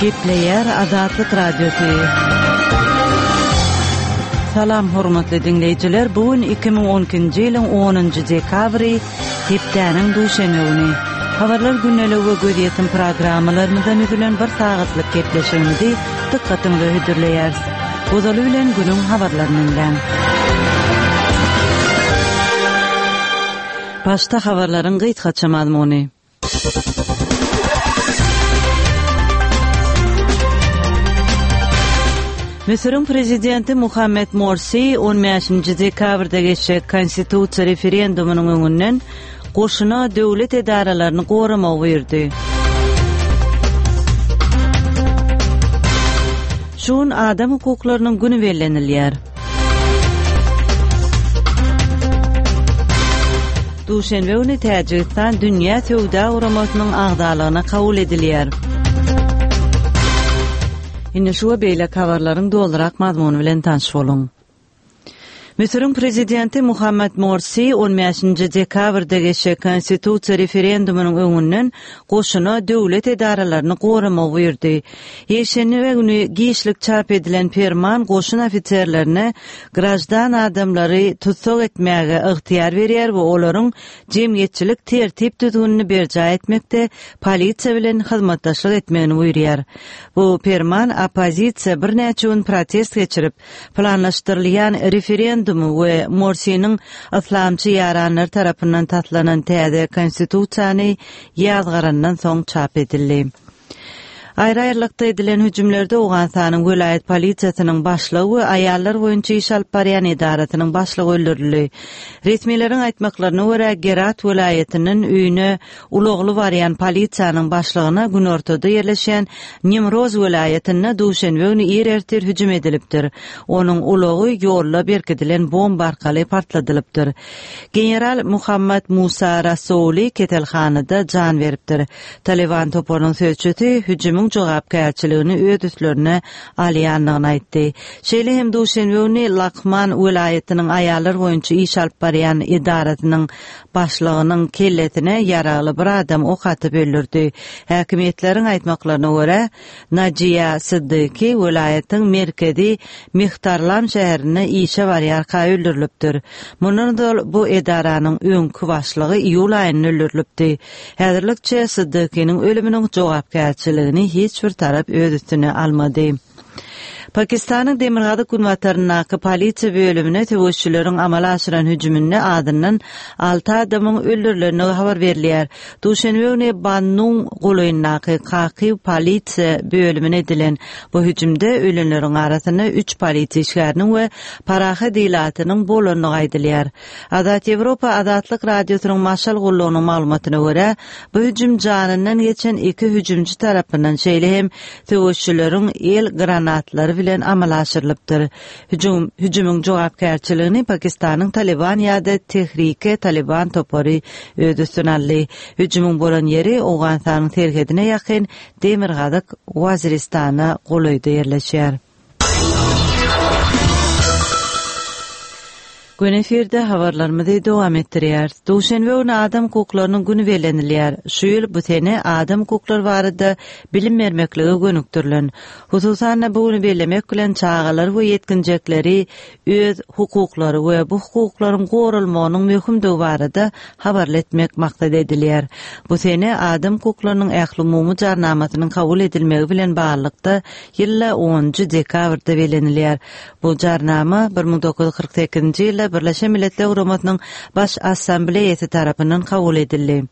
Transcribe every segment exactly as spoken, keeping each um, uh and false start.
Gepleýär Azatlyk Radiosy. Salam hormatly diňleýjiler, bu gün iki müň on ikinji ýylyň onunjy dekabry, hepdäniň duşenbe güni. Habarlar gündeligi we gözýetim programmalarymyzdan düzülen bir sagatlyk gepleşigimizi dykgatyňyza hödürleýäris. Ozaly bilen günüň habarlaryny diňläň. Başda habarlaryň gysgaça mazmuny. Müsüriň prezidenti Muhammed Morsi on bäşinji dekabrda geçjek konstitusiýa referendumynyň öňünden goşuna döwlet edaralaryny goramagy buýurdy. Şu gün adam hukuklarynyň güni bellenilýär. Duşenbe güni Täjigistan Dünýä Söwda Guramasynyň agzalygyna kabul edilýär. Indi şu we beýleki habarlaryň dolurak mazmuny bilen tanyş boluň. Müsüriň prezidenti Muhammed Morsi on bäşinji dekabrda geçjek konstitusiýa referendumynyň öňünden goşuna döwlet edaralaryny goramagy buýurdy. Ýekşenbe güni giçlik çap edilen perman goşun ofiserlerine graždan adamlary tussag etmäge ygtyýar berýär we olaryň jemgyýetçilik tertip düzgünini berjaý etmekde polisiýa bilen hyzmatdaşlyk etmegini buýurýar. Bu perman oppozisiýa birnäçe gün protest geçirip, planlaşdyrylýan referendumy we Morsiniň yslamçy ýaranlary tarapyndan taslanan täze konstitusiýany ýazgarandan soň çap edildi. Aýry-aýrylykda edilen hüjümlerde Owganystanyň welaýat polisiýasynyň başlygy we aýallar boýunça iş alyp barýan edarasynyň başlygy öldürildi. Resmileriň aýtmaklaryna görä, Gerat welaýatyndan öýüne ulagly barýan polisiýanyň başlygyna günortada ýerleşýän Nimroz welaýatynda duşenbe güni ir ertir hüjüm edilipdir. Onuň ulagy ýolda berkidilen bomba arkaly partladylypdyr. General Muhammad Musa Rasouli keselhanada jan beripdir. Taliban toparynyň sözçüsi hüjümiň jogapkärçiligini öz üstlerine alýandygyny aýtdy. Şeýle hem duşenbe güni Lakman welaýatynyň aýallar boýunça iş alyp barýan edarasynyň başlygynyň kellesine ýaragly bir adam ok atyp öldürdi. Häkimiýetleriň aýtmaklaryna görä, Najiýa Siddiqi welaýatyň merkezi Mihtarlam şäherinde işe barýarka öldürilipdir. Mundan ozal bu edaranyň öňki başlygy iýul aýynda öldürilipdi. Häzirlikçe Siddiqiniň ölüminiň jogapkärçiligini hiç bir tarap öz üstüne almady. Pakistanyň demirgazyk günbataryndaky polisiýa bölümine söweşçileriň amala aşyran hüjüminde adyndan alty adamyň öldürilendigi habar berilýär. Duşenbe güni Bannun golaýyndaky Kakiw polisiýa bölümine edilen bu hüjümde ölenleriň arasynda üç polisiýa işgäriniň we parahat ilatynyň bolandygy aýdylýar. Azat Ýewropa Azatlyk Radiosynyň Maşal gullugynyň maglumatyna görä, bu hüjüm janyndan geçen iki hüjümçi tarapyndan şeýle hem söweşçileriň el granatlary bilen amala aşyrylypdyr. Hüjüm, hüjümiň jogapkärçiligini Pakistanyň Taliban ýa-da Tehrike Taliban topary öz üstüne aldy. Hüjümiň bolan ýeri Owganystanyň serhedine ýakyn Demirgazyk Waziristana golaýda ýerleşýär. Gün efirde habarlarymyzy dowam etdirýär. Duşenbe güni adam hukuklarynyň güni bellenilýär. Şu ýyl bu sene adam hukuklary barada bilim bermeklige gönükdirilen. Hususan-da bu güni bellemek bilen çagalar we ýetginjekleri öz hukuklary we bu hukuklaryň goralmagynyň möhümdigi barada habarly etmek maksat edilýär. Bu sene adam hukuklarynyň ählumumy jarnamasynyň kabul edilmegi bilen baglylykda ýylda onunjy dekabrda bellenilýär. Bu jarnama bir müň dokuz ýüz kyrk sekizinji ýylda Birleşen Milletler Guramasynyň Baş Assambleýasy tarapyndan kabul edildi.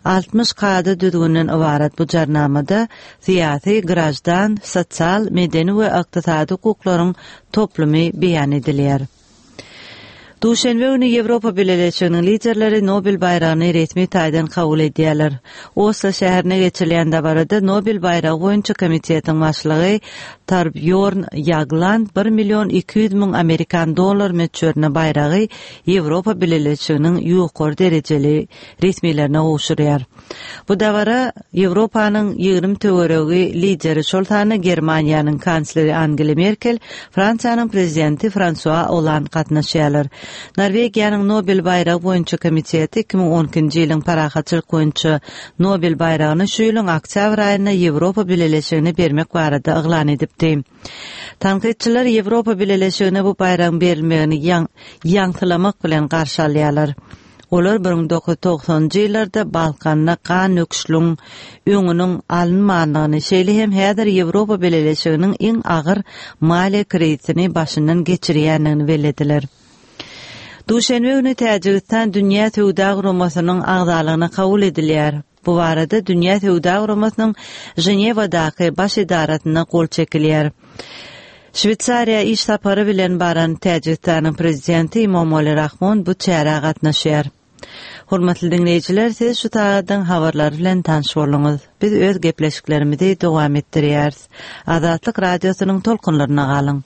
Altmyş kada düzgünden ybarat bu jarnamada syýasy, graždan, sosial, medeni we ykdysady hukuklaryň toplumy beýan edilýär. Duşenbe güni Ýewropa Bileleşiginiň liderleri Nobel baýragyny resmi taýdan kabul edýärler. Oslo şäherinde geçirilýän dabarada Nobel baýragy boýunça komitetiň başlygy Torbýorn Ýagland bir million iki ýüz müň amerikan dollar möçberinde baýragy Ýewropa Bileleşiginiň ýokary derejeli resmilerine gowşurýar. Bu dabara Ýewropanyň ýigrimi töweregi lideri, şol sanda Germaniýanyň kansleri Angela Merkel, Fransiýanyň prezidenti Fransua Oland gatnaşýarlar. Norwegiýanyň Nobel baýragy boýunça komiteti iki müň on ikinji ýylyň parahatçylyk boýunça Nobel baýragyny şu ýylyň oktýabr aýynda Ýewropa Bileleşigine bermek barada yglan edipdi. Tankytçylar Ýewropa Bileleşigine bu baýragyň berilmegini ýaňsylamak bilen garşy alýarlar. Olar bir müň dokuz ýüz togsanynjy ýyllarda Balkanda gan döküşligiň öňüniň alynmandygyny, şeýle hem häzir Ýewropa Bileleşiginiň iň agyr maliýe krizisini başyndan geçirýändigini bellediler. Duşenbe güni Täjigistan Dünýä Söwda Guramasynyň agzalygyna kabul edilýär. Bu barada Dünýä Söwda Guramasynyň Ženewadaky baş edarasynda gol çekilýär. Şweýsariýa iş sapary bilen baran Täjigistanyň prezidenti Emomali Rahmon bu çärä gatnaşýar. Hormatly diňleýjiler, siz şu sagadyň habarlary bilen tanyş bolduňyz. Biz öz gepleşiklerimizi dowam etdirýäris. Azatlyk Radiosynyň tolkunlaryna galyň.